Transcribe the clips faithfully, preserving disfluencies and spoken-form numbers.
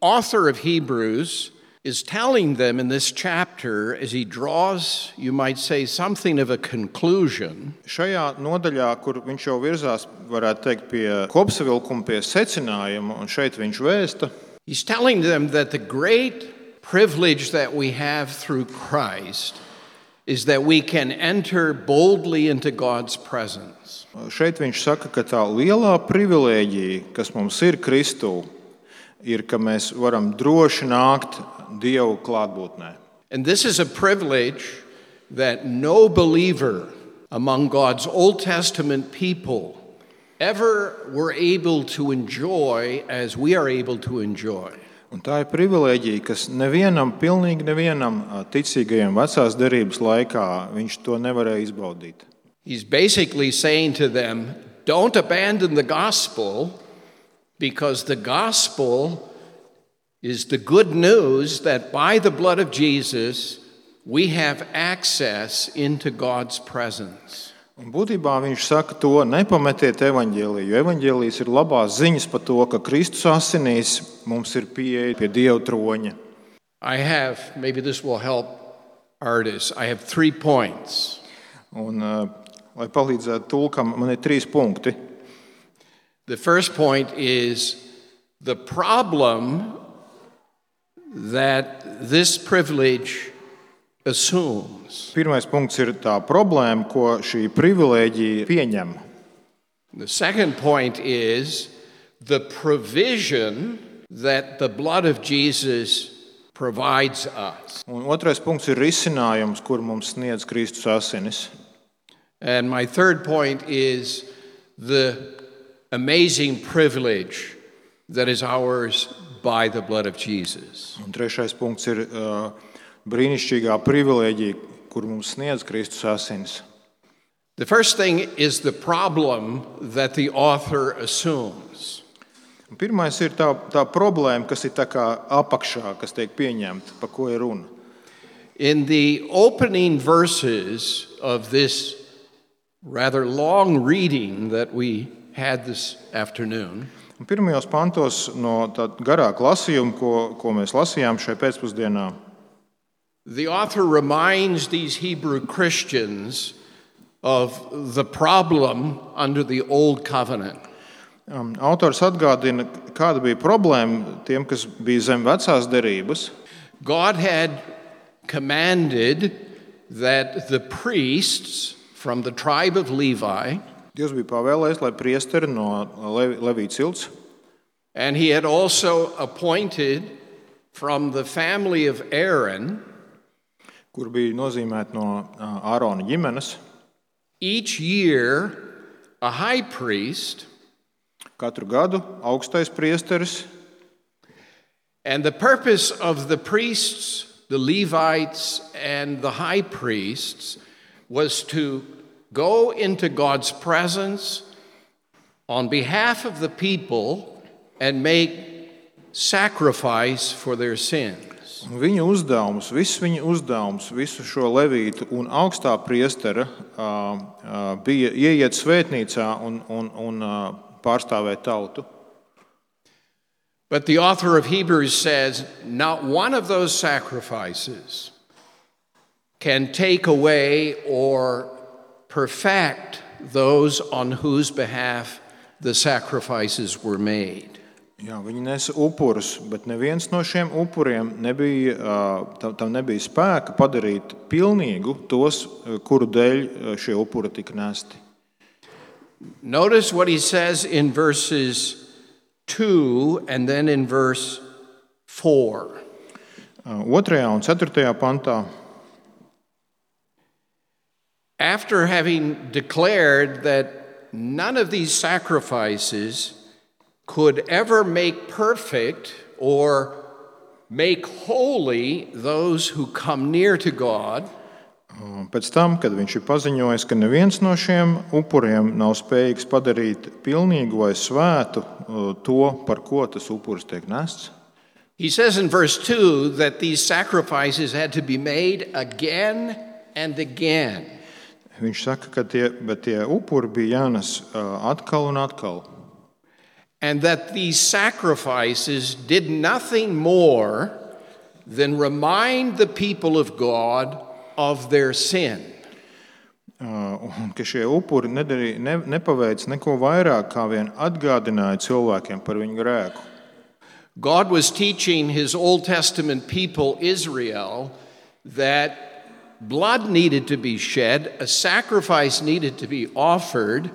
author of Hebrews is telling them in this chapter, as he draws, you might say, something of a conclusion. Šajā nodaļā, kur viņš jau virzās, varētu teikt, pie kopsavilkuma, pie secinājuma, un šeit viņš vēsta. He's telling them that the great privilege that we have through Christ is that we can enter boldly into God's presence. Šeit viņš saka, ka tā lielā privilēģija, kas mums ir Kristū, ir, ka mēs varam droši nākt Dievu klātbūtnē. And this is a privilege that no believer among God's Old Testament people ever were able to enjoy as we are able to enjoy. Un tā ir privilēģija, kas nevienam, pilnīgi nevienam ticīgajam vecās derības laikā viņš to nevarēja izbaudīt. He's basically saying to them, don't abandon the gospel, because the gospel is the good news that by the blood of Jesus we have access into God's presence. Un būtībā viņš saka to, nepametiet evaņģēliju, jo evaņģēlijs ir labās ziņas par to, ka Kristus asinīs mums ir pieeja pie Dieva troņa. I have, maybe this will help artists, I have three points. Un, lai palīdzētu tulkam, man ir trīs punkti. The first point is the problem that this privilege assumes. Pirmais punkts ir tā problēma, ko šī privilēģija pieņem. The second point is the provision that the blood of Jesus provides us. Un otrais punkts ir risinājums, kur mums sniedz Kristus asinis. And my third point is the amazing privilege that is ours by the blood of Jesus. Un trešais punkts ir uh, brīnišķīgā privilēģija, kur mums sniedz Kristus asinis. The first thing is the problem that the author assumes. Un pirmais ir tā, tā problēma, kas ir tā kā apakšā, kas tiek pieņemta, par ko ir runa. In the opening verses of this rather long reading that we had this afternoon, Un pirmajos pantos no tā garāka lasījuma, ko, ko mēs lasījām šai pēcpusdienā, the author reminds these Hebrew Christians of the problem under the Old Covenant. um, autors atgādina, kāda bija problēma tiem, kas bija zem vecās derības. God had commanded that the priests from the tribe of Levi, Dievs bija pavēlējis, lai priesteri no Levī cilts, and he had also appointed from the family of Aaron, kur bija nozīmēti no Ārona ģimenes, each year a high priest, katru gadu augstais priesteris. and the purpose of the priests, the Levites and the high priests, was to go into God's presence on behalf of the people and make sacrifice for their sins. Un viņa uzdevums, viss viņa uzdevums, visu šo levītu un augstā priestera uh, uh, bija ieiet svētnīcā un, un, un uh, pārstāvēt tautu. But the author of Hebrews says, not one of those sacrifices can take away or perfect those on whose behalf the sacrifices were made. Jā, viņi nesa upurus, bet neviens no šiem upuriem nebija, tam, tam nebija spēka padarīt pilnīgu tos, kuru dēļ šie upuri tika nesti. Notice what he says in verses two and then in verse four. Otrajā un ceturtajā pantā. After having declared that none of these sacrifices could ever make perfect or make holy those who come near to God, Pēc tam, kad viņš ir paziņojis, ka neviens no šiem upuriem nav spējīgs padarīt pilnīgu vai svētu to, par ko tas upuris tiek nests, he says in verse two that these sacrifices had to be made again and again. Viņš saka, ka tie, bet tie upuri bija jānes atkal un atkal. and that these sacrifices did nothing more than remind the people of God of their sin. Un ka šie upuri nedarīja, ne, nepaveic neko vairāk, kā vien atgādināja cilvēkiem par viņu grēku. God was teaching his Old Testament people, Israel, that blood needed to be shed, a sacrifice needed to be offered,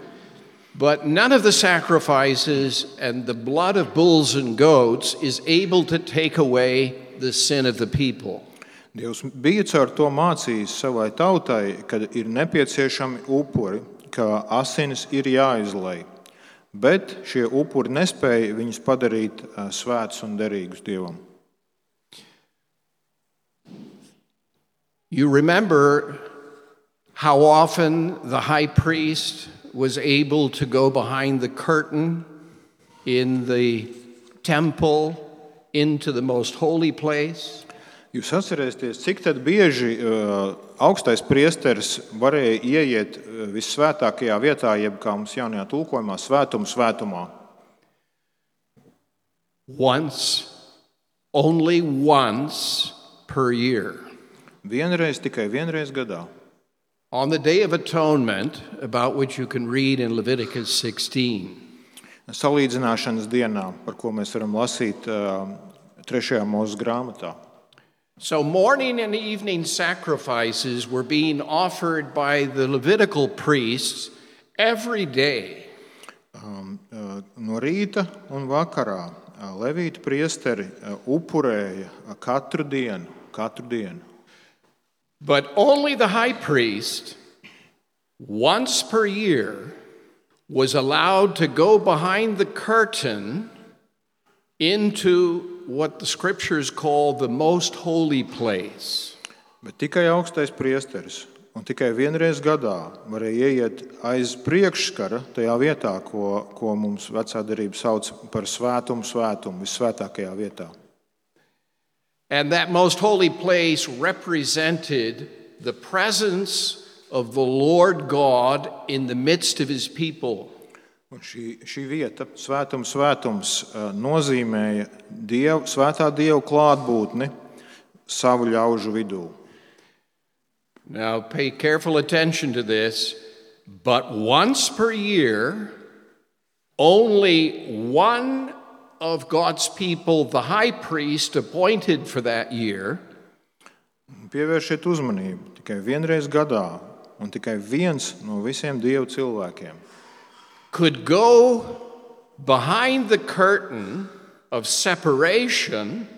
but none of the sacrifices and the blood of bulls and goats is able to take away the sin of the people. Dievs bija caur to mācījis savai tautai, ka ir nepieciešami upuri, ka asinis ir jāizlej. Bet šie upuri nespēja viņus padarīt svētus un derīgus Dievam. You remember how often the high priest was able to go behind the curtain in the temple into the most holy place? Jūs atcerēsieties, cik tad bieži uh, augstais priesteris varēja ieiet uh, vissvētākajā vietā, jeb kā mums jaunajā tulkojumā, svētuma svētumā? Once, only once per year. Vienreiz, tikai vienreiz gadā. On the Day of Atonement, about which you can read in Leviticus sixteen. Salīdzināšanas dienā, par ko mēs varam lasīt uh, trešajā Mūzes grāmatā. So morning and evening sacrifices were being offered by the Levitical priests every day. Um, uh, no rīta un vakarā uh, levīti priesteri uh, upurēja uh, katru dienu, katru dienu. But only the high priest, once per year, was allowed to go behind the curtain into what the scriptures call the most holy place. Bet tikai augstais priesteris un tikai vienreiz gadā varēja ieiet aiz priekšskara tajā vietā, ko, ko mums vecā derība sauc par svētumu svētumu, vissvētākajā vietā. And that most holy place represented the presence of the Lord God in the midst of his people. Un šī, šī vieta, svētums, svētums, nozīmēja Dievu, svētā Dieva klātbūtni savu ļaužu vidū. Now pay careful attention to this, but once per year, only one of God's people, the high priest appointed for that year, Pievēršiet uzmanību, tikai vienreiz gadā un tikai viens no visiem Dieva cilvēkiem could go behind the curtain of separation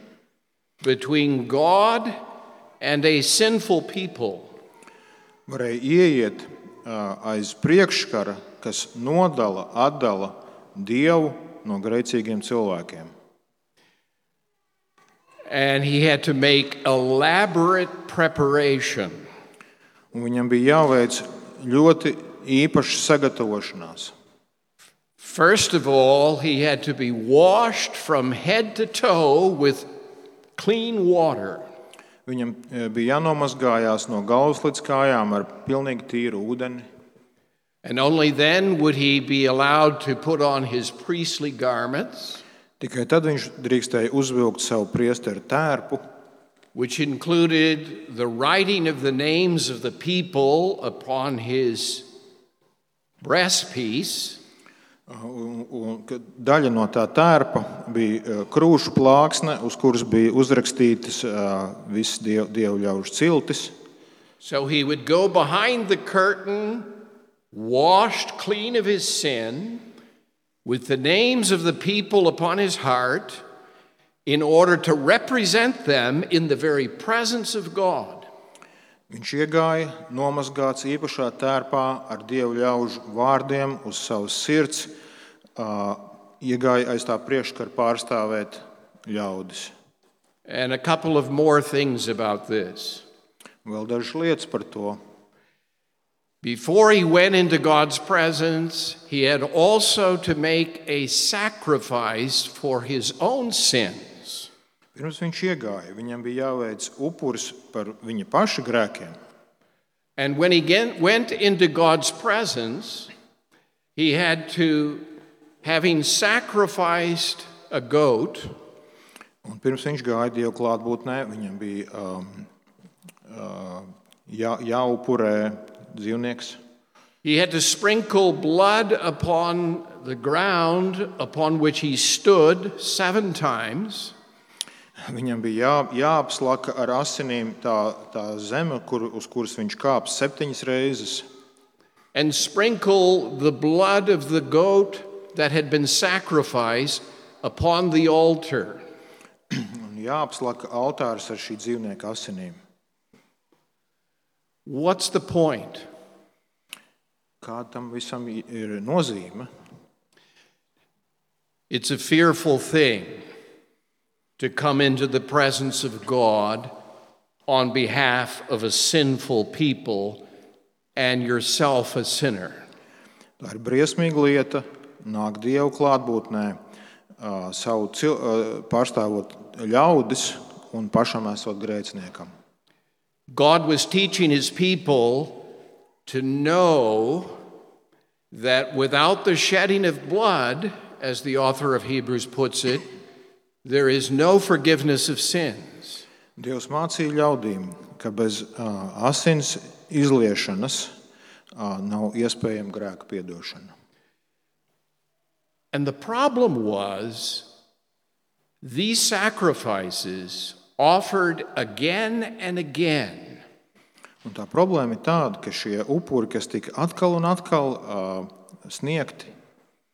between God and a sinful people. varēja ieiet uh, aiz priekšskara, kas nodala, atdala Dievu no grēcīgiem cilvēkiem. And he had to make elaborate preparation. Un viņam bija jāveic ļoti īpaša sagatavošanās. First of all, he had to be washed from head to toe with clean water. Viņam bija jānomazgājās no galvas līdz kājām ar pilnīgi tīru ūdeni. And only then would he be allowed to put on his priestly garments, Tikai tad viņš drīkstēja uzvilkt savu priesteru tērpu, which included the writing of the names of the people upon his breastpiece. un, un daļa no tā tērpa bija krūšu plāksne, uz kuras bija uzrakstītas visas dievu, dievu ļaužu ciltis. So he would go behind the curtain, washed clean of his sin, with the names of the people upon his heart, in order to represent them in the very presence of God. Viņš iegāja nomazgāts īpašā tērpā ar dievu ļaužu vārdiem uz savas sirds, iegāja aiz tā priekšskara pārstāvēt ļaudis. And a couple of more things about this. Vēl dažas lietas par to. Before he went into God's presence, he had also to make a sacrifice for his own sins. Pirms viņš iegāja, viņam bija jāveic upuris par viņa paša grēkiem. And when he went into God's presence, he had to having sacrificed a goat, Un pirms viņš gāja Dieva klātbūtnē, viņam bija um, uh, jā, jāupurē dzīvnieks. he had to sprinkle blood upon the ground upon which he stood seven times. Viņam bija jā, jāapslaka ar asinīm tā, tā zeme, kur, uz kuras viņš kāps septiņas reizes. And sprinkle the blood of the goat that had been sacrificed upon the altar. Un jāapslaka altārs ar šī dzīvnieka asinīm. What's the point? Kāda tam visam ir nozīme? It's a fearful thing to come into the presence of God on behalf of a sinful people and yourself a sinner. Tā ir briesmīga lieta nākt Dieva klātbūtnē, uh, savu cil, uh, pārstāvot ļaudis un pašam esot grēciniekam. God was teaching his people to know that without the shedding of blood, as the author of Hebrews puts it, there is no forgiveness of sins. Dievs mācīja ļaudīm, ka bez uh, asins izliešanas uh, nav iespējama grēka piedošana. And the problem was these sacrifices offered again and again. Un tā problēma ir tāda, ka šie upuri, kas tika atkal un atkal uh, sniegti,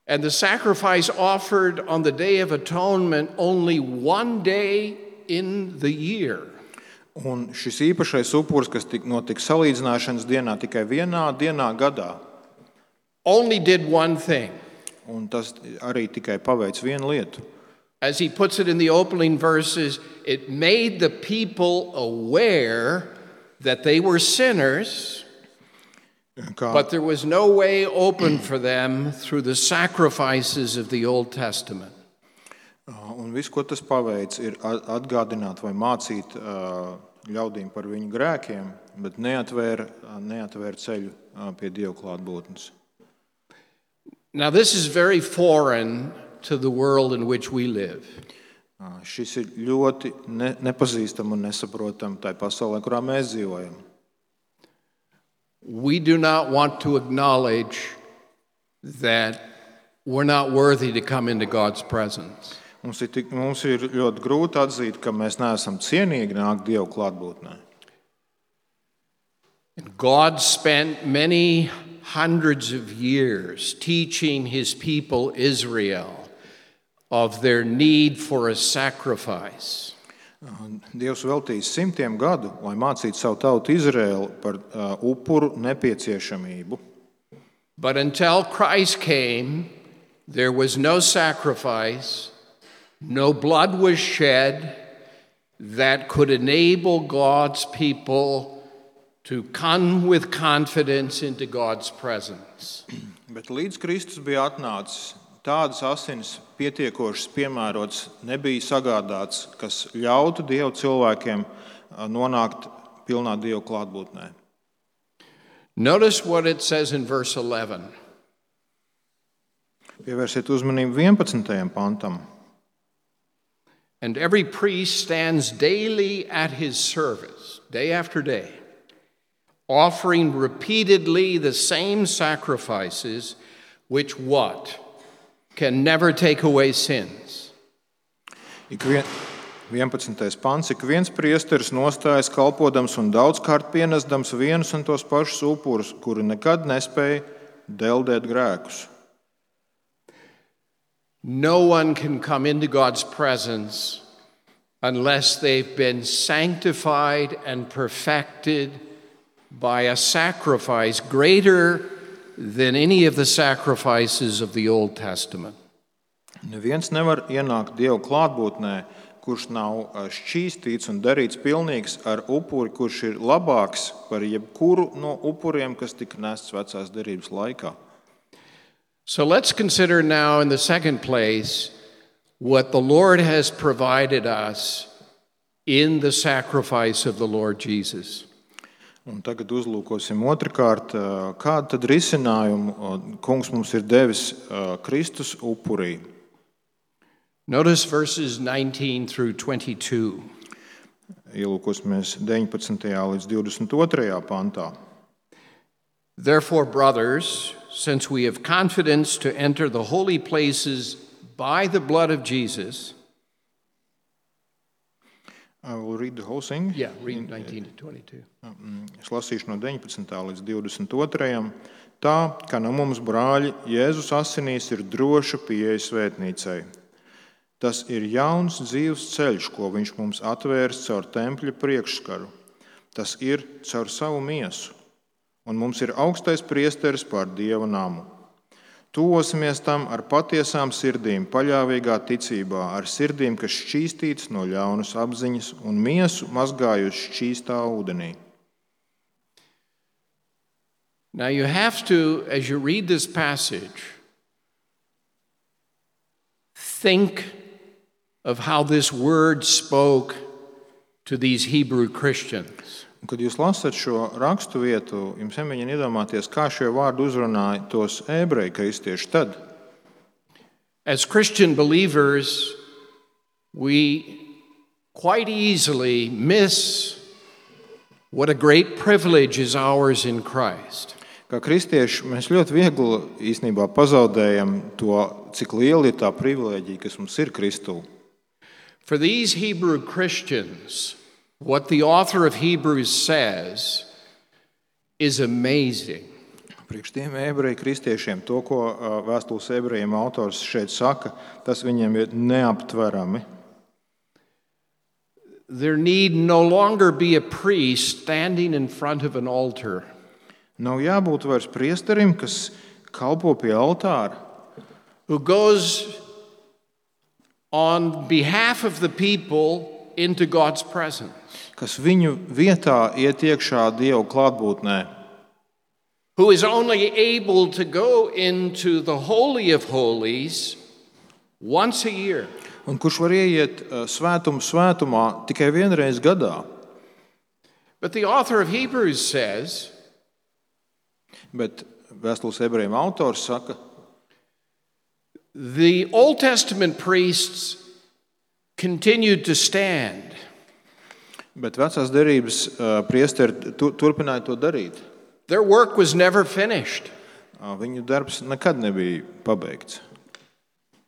and the sacrifice offered on the Day of Atonement only one day in the year. un šis īpašais upuris, kas tika notika salīdzināšanas dienā tikai vienā dienā gadā, only did one thing. un tas arī tikai paveic vienu lietu. As he puts it in the opening verses, it made the people aware that they were sinners, Kā, but there was no way open for them through the sacrifices of the Old Testament. un viss, ko tas paveic, ir atgādināt vai mācīt uh, ļaudīm par viņu grēkiem, bet neatvēr, neatvēr ceļu uh, pie Dieva klātbūtnes. Now, this is very foreign to the world in which we live. Uh, Šis ir ļoti ne, nepazīstam un nesaprotam tai pasaulē, kurā mēs dzīvojam. We do not want to acknowledge that we're not worthy to come into God's presence. Mums ir, tik, mums ir ļoti grūti atzīt, ka mēs neesam cienīgi nākt Dieva klātbūtnē. And God spent many hundreds of years teaching his people Israel of their need for a sacrifice. Dievs veltīs simtiem gadu, lai mācītu savu tautu Izraēlu par uh, upuru nepieciešamību. But until Christ came, there was no sacrifice, no blood was shed that could enable God's people to come with confidence into God's presence. Bet līdz Kristus bija atnācis, tādas asins pietiekošas piemērots nebija sagādāts, kas ļautu Dieva cilvēkiem nonākt pilnā Dieva klātbūtnē. Notice what it says in verse eleven. Pievērsiet uzmanību vienpadsmitajam pantam. And every priest stands daily at his service, day after day, offering repeatedly the same sacrifices, which what? Can never take away sins. Ik vien, vienpadsmitais pants. Ik viens priesteris nostājas kalpodams un daudzkārt pienesdams vienus un tos pašus upurus, kuri nekad nespēja deldēt grēkus. No one can come into God's presence unless they've been sanctified and perfected by a sacrifice greater than any of the sacrifices of the Old Testament. Neviens nevar ienākt Dieva klātbūtnē, kurš nav šķīstīts un darīts pilnīgs ar upuri, kurš ir labāks par jebkuru no upuriem, kas tika nests vecās derības laikā. So let's consider now in the second place what the Lord has provided us in the sacrifice of the Lord Jesus. Un tagad uzlūkosim otrkārt, kādu tad risinājumu Kungs mums ir devis Kristus upurī. Notice verses nineteen through twenty-two. Ielūkosimies deviņpadsmitajā līdz divdesmit otrajā pantā. Therefore, brothers, since we have confidence to enter the holy places by the blood of Jesus. I will read the whole thing. Yeah, read nineteen to twenty-two. Es lasīšu no deviņpadsmitā līdz divdesmit otrajam. Tā, ka no mums, brāļi, Jēzus asinīs ir droša pieeja svētnīcai. Tas ir jauns dzīves ceļš, ko viņš mums atvērs caur tempļa priekšskaru. Tas ir caur savu miesu. Un mums ir augstais priesteris pār Dieva namu. Tuvosimies tam ar patiesām sirdīm, paļāvīgā ticībā, ar sirdīm, kas šķīstītas no ļaunas apziņas un miesu mazgājuši šķīstā ūdenī. Now you have to, as you read this passage, think of how this word spoke to these Hebrew Christians. Un, kad jūs lasat šo rakstu vietu, jums jāmēģina iedomāties, kā šie vārdi uzrunāja tos ebreju kristieši tad. As Christian believers, we quite easily miss what a great privilege is ours in Christ. Kā kristieši, mēs ļoti viegli īstenībā pazaudējam to, cik liela ir tā privilēģija, kas mums ir Kristū. For these Hebrew Christians, what the author of Hebrews says is amazing. Priekš tiem ebreju kristiešiem, to, ko vēstules ebrejiem autors šeit saka, tas viņiem ir neaptverami. There need no longer be a priest standing in front of an altar. Nav jābūt vairs priesterim, kas kalpo pie altāra, who goes on behalf of the people into God's presence. kas viņu vietā iet iekšā Dieva klātbūtnē, who is only able to go into the Holy of Holies once a year. un kurš var ieiet svētumu svētumā tikai vienreiz gadā. But the author of Hebrews says, Bet vēstules ebrejiem autors saka, the Old Testament priests continued to stand. bet vecās derības priesteri tu, turpināja to darīt. Their work was never finished. Viņu darbs nekad nebija pabeigts.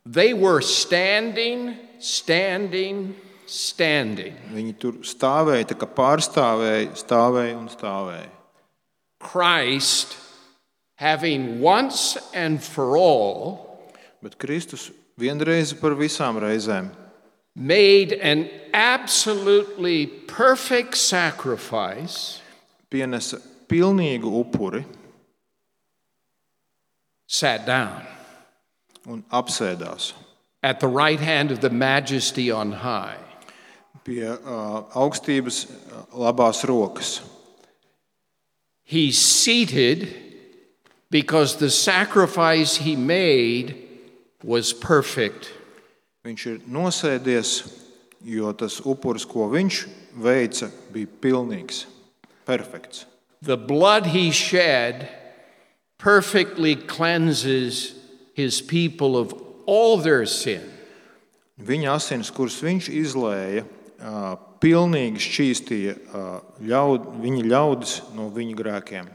They were standing, standing, standing. Viņi tur stāvēja, tā kā pārstāvēja, stāvēja un stāvēja. Christ, having once and for all Bet Kristus vienreiz par visām reizēm made an absolutely perfect sacrifice, pienesa pilnīgu upuri sat down un apsēdās at the right hand of the Majesty on high. pie uh, augstības uh, labās rokas. He's seated because the sacrifice he made was perfect. Viņš ir nosēdies, jo tas upuris, ko viņš veica, bija pilnīgs, perfekts. The blood he shed perfectly cleanses his people of all their sin. Viņa asins, kuras viņš izlēja, uh, pilnīgi šķīstīja uh, ļaud, viņa ļaudis no viņa grēkiem.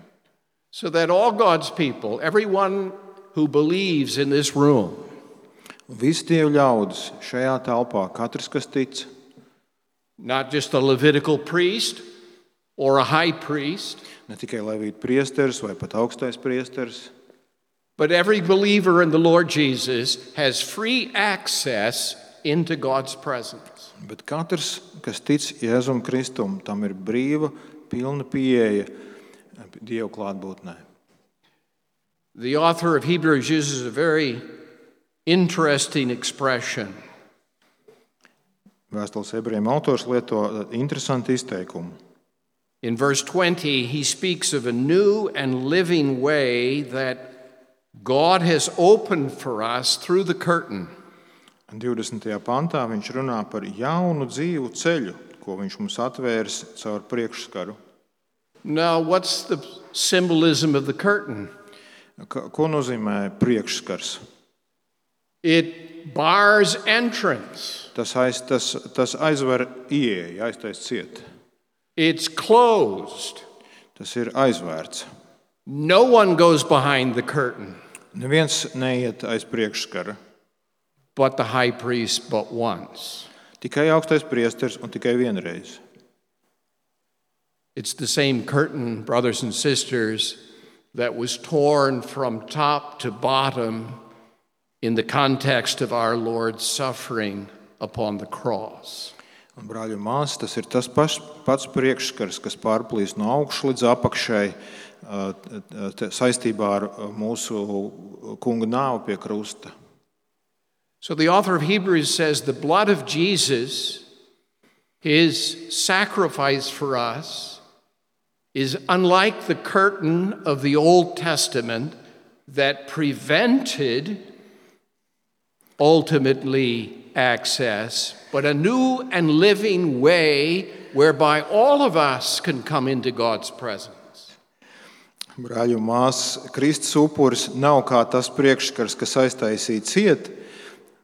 So that all God's people, everyone who believes in this room, Visi Dieva ļaudis šajā telpā, katrs, kas tic, not just a Levitical priest or a high priest, ne tikai levīta priesteris vai pat augstais priesteris, but every believer in the Lord Jesus has free access into God's presence. bet katrs, kas tic Jēzum Kristum, tam ir brīva, pilna pieeja Dieva klātbūtnē. The author of Hebrews uses a very interesting expression. Vēstules ebrejiem autors lieto interesantu izteikumu. In verse twenty, he speaks of a new and living way that God has opened for us through the curtain. divdesmitajā pantā viņš runā par jaunu dzīvu ceļu, ko viņš mums atvērs caur priekšskaru. Now, what's the symbolism of the curtain? Ka- Ko nozīmē priekšskars? It bars entrance. Tas, aiz, tas, tas aizver ieeju, aiztais ciet. It's closed. Tas ir aizvērts. No one goes behind the curtain Neviens neiet aiz priekšskara. but the high priest but once. Tikai augstais priesteris un tikai vienreiz. It's the same curtain, brothers and sisters, that was torn from top to bottom in the context of our Lord's suffering upon the cross. Un, brāļi un māsas, tas ir tas paš, pats priekšskars, kas pārplīst no augšas līdz apakšai uh, te- saistībā ar uh, mūsu kunga nāvi pie krusta. So the author of Hebrews says the blood of Jesus, his sacrifice for us, is unlike the curtain of the Old Testament that prevented ultimately access, but a new and living way whereby all of us can come into God's presence. Brāļi un māsas, Kristus upuris nav kā tas priekšskars, kas aiztaisīja ciet,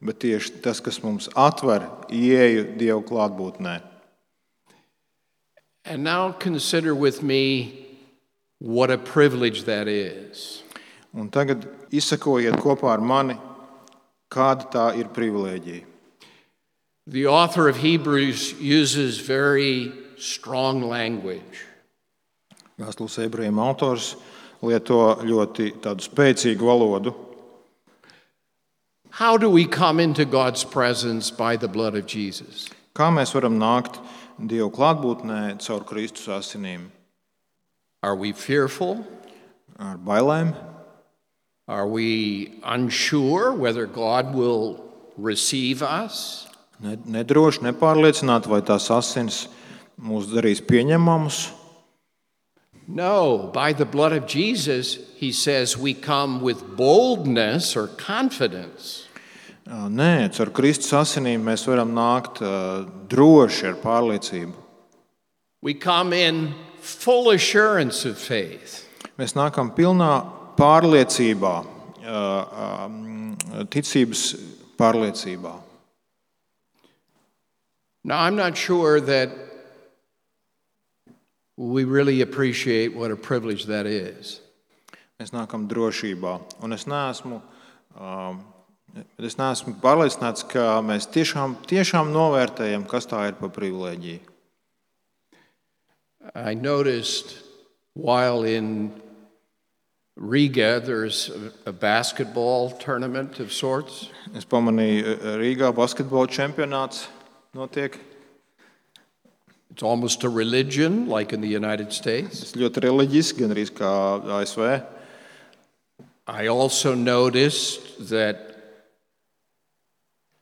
bet tieši tas, kas mums atver ieeju Dieva klātbūtnē. And now consider with me what a privilege that is. Un tagad izsakojiet kopā ar mani, kāda tā ir privilēģija. The author of Hebrews uses very strong language. Vēstules ebrejiem autors lieto ļoti tādu spēcīgu valodu. How do we come into God's presence by the blood of Jesus? Kā mēs varam nākt Dieva klātbūtnē caur Kristus asinīm? Are we fearful? Ar bailēm? Are we unsure whether God will receive us? Ne- Nedroši, nepārliecināti, vai tās asins mūs darīs pieņemamus? No, by the blood of Jesus, he says we come with boldness or confidence. Ā, Nē, caur Kristus asinīm mēs varam nākt ā, droši ar pārliecību. We come in full assurance of faith. Mēs nākam pilnā pārliecībā, ā, ā, ticības pārliecībā. Now, I'm not sure that we really appreciate what a privilege that is. Mēs nākam drošībā. Un es neesmu, ā, es neesmu pārliecināts, ka mēs tiešām, tiešām novērtējam, kas tā ir par privilēģiju. I noticed while in Riga, there's a a basketball tournament of sorts. Es pamanīju, ā, Rīgā basketbola čempionāts notiek. It's almost a religion, like in the United States. Tas ļoti reliģiski, gan arī kā A S V. I also noticed that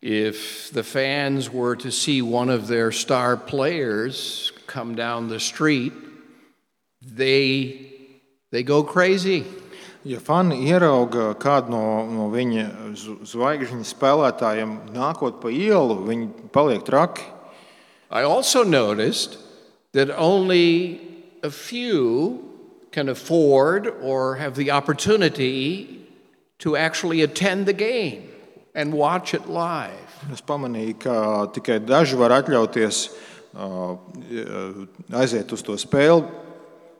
if the fans were to see one of their star players come down the street, they, they go crazy. Ja fani ierauga kādu no, no viņa z- zvaigžņu spēlētājiem nākot pa ielu, viņi paliek traki. I also noticed that only a few can afford or have the opportunity to actually attend the game and watch it live. Es pamanīju, ka tikai daži var atļauties ā, aiziet uz to spēli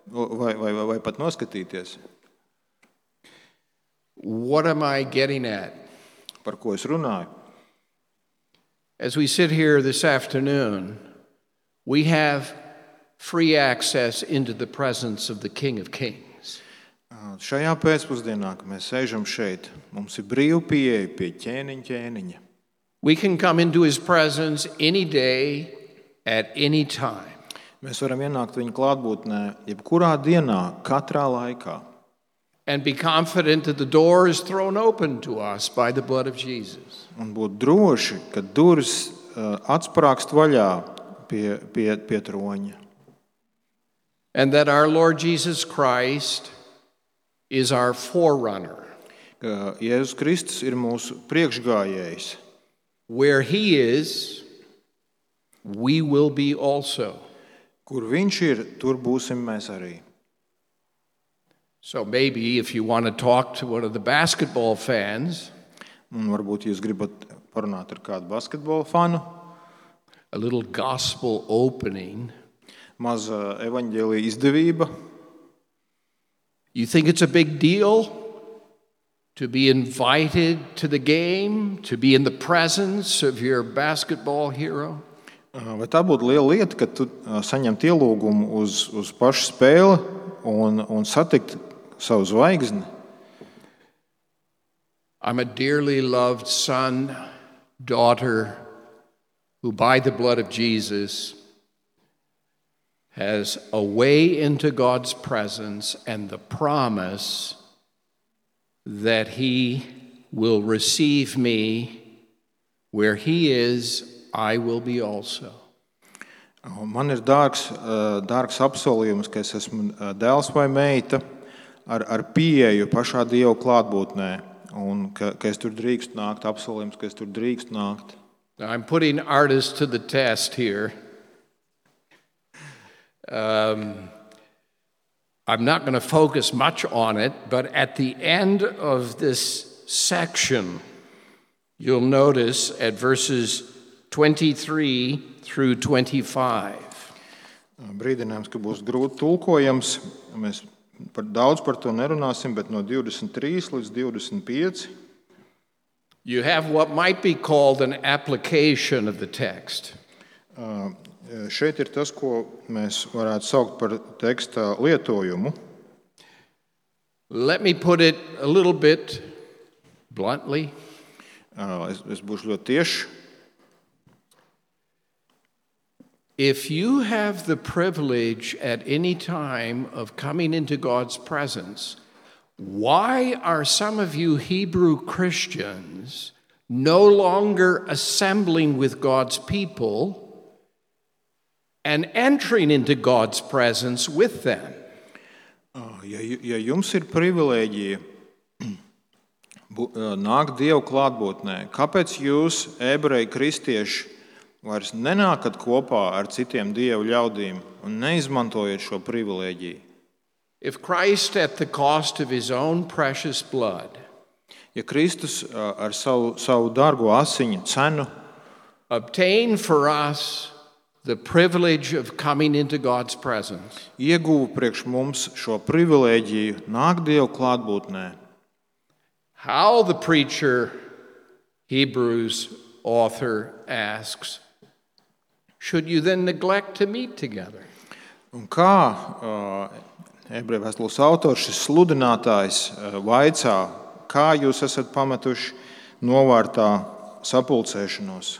vai, vai, vai, vai pat noskatīties. What am I getting at? Par ko es runāju? As we sit here this afternoon, we have free access into the presence of the King of Kings. Ā, Šajā pēcpusdienā, kad mēs sēžam šeit, mums ir brīva pieeja pie ķēniņa ķēniņa. We can come into his presence any day, at any time. Mēs varam ienākt viņa klātbūtnē jebkurā dienā, katrā laikā. And be confident that the door is thrown open to us by the blood of Jesus. Un būt droši, ka durvis ā, atsprāgst vaļā pie, pie, pie troņa. And that our Lord Jesus Christ is our forerunner. Ka Jēzus Kristus ir mūsu priekšgājējs. Where he is, we will be also. Kur viņš ir, tur būsim mēs arī. So maybe if you want to talk to one of the basketball fans, Un varbūt jūs gribat parunāt ar kādu basketbola fanu, a little gospel opening, maza evaņģēlija izdevība. you think it's a big deal to be invited to the game, to be in the presence of your basketball hero? Vai tā būtu liela lieta, ka tu saņemt ielūgumu uz, uz pašu spēli un, un satikt savu zvaigzni? I'm a dearly loved son, daughter, who by the blood of Jesus has a way into God's presence and the promise that he will receive me where he is, I will be also. Man ir dārgs, dārgs apsolījums, ka es esmu dēls vai meita ar, ar pieeju pašā Dieva klātbūtnē, un ka, ka es tur drīkstu nākt, apsolījums, ka es tur drīkstu nākt. I'm putting artists to the test here. Um, I'm not going to focus much on it, but at the end of this section, you'll notice at verses twenty-three through twenty-five. Brīdinājums, ka būs grūti tulkojams. Mēs par daudz par to nerunāsim, bet no divdesmit trīs līdz divdesmit pieci. You have what might be called an application of the text. Uh, šeit ir tas, ko mēs varētu saukt par teksta lietojumu. Let me put it a little bit bluntly. Uh, es, es būšu ļoti tieši. If you have the privilege at any time of coming into God's presence, why are some of you Hebrew Christians no longer assembling with God's people and entering into God's presence with them? Ja, ja jums ir privilēģija nākt Dieva klātbūtnē, kāpēc jūs, ebreji kristieši, vairs nenākat kopā ar citiem Dieva ļaudīm un neizmantojat šo privilēģiju? If Christ at the cost of his own precious blood, ja Kristus ar savu, savu dārgo asiņu cenu obtained for us the privilege of coming into God's presence, ieguva priekš mums šo privilēģiju nākt Dieva klātbūtnē, how, the preacher, Hebrews author asks, should you then neglect to meet together? Un kā uh, ebreju vēstules autors, šis sludinātājs, uh, vaicā, kā jūs esat pametuši novārtā sapulcēšanos?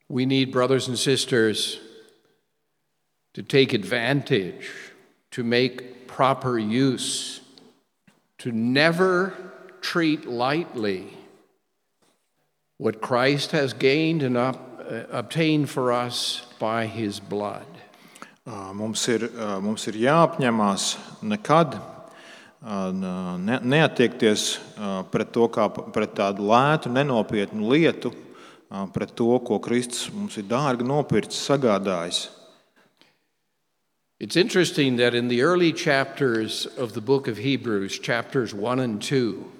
We need, brothers and sisters, to take advantage, to make proper use, to never treat lightly what Christ has gained and up, uh, obtained for us by his blood. Mums ir, mums ir jāapņemās nekad ne, neattiekties pret to kā pret tādu lētu, nenopietnu lietu, pret to, ko Kristus mums ir dārgi nopircis, sagādājis. It's interesting that in the early chapters of the book of Hebrews, chapters one and two,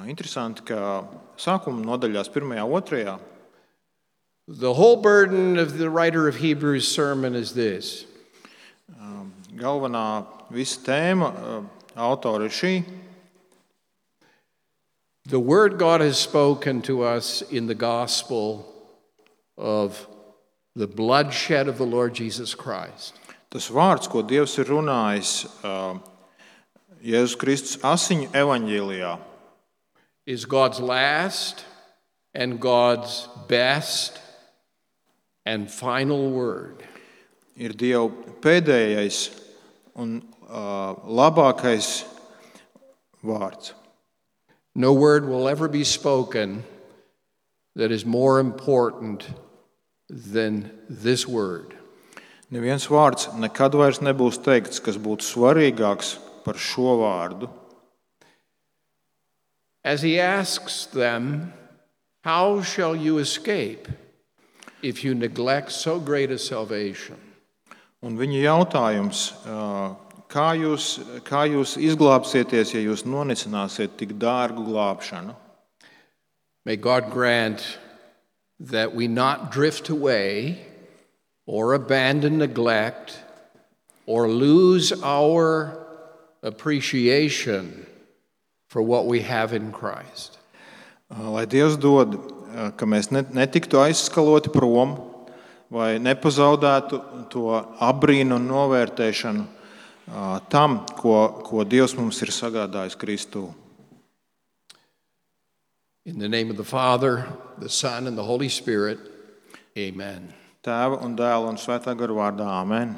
Interesanti, ka sākuma nodaļās pirmajā, otrajā, the whole burden of the writer of Hebrews' sermon is this. Galvenā visa tēma autora ir šī. The word God has spoken to us in the gospel of the bloodshed of the Lord Jesus Christ. Tas vārds, ko Dievs ir runājis Jēzus Kristus asiņu evaņģēlijā, is God's last and God's best and final word. Ir Dieva pēdējais un uh, labākais vārds. No word will ever be spoken that is more important than this word. Neviens vārds nekad vairs nebūs teikts, kas būtu svarīgāks par šo vārdu. As he asks them, how shall you escape? if you neglect so great a salvation? Un viņa jautājums, ā, kā jūs, kā jūs izglābsieties, ja jūs nonicināsiet tik dārgu glābšanu? May God grant that we not drift away or abandon neglect or lose our appreciation for what we have in Christ. Lai Dievs dod, ka mēs netiktu aizskaloti prom vai nepazaudētu to abrīnu un novērtēšanu tam, ko, ko Dievs mums ir sagādājis Kristū. In the name of the Father, the Son, and the Holy Spirit, amen. Tēva un Dēla un Svētā gara vārdā, amen.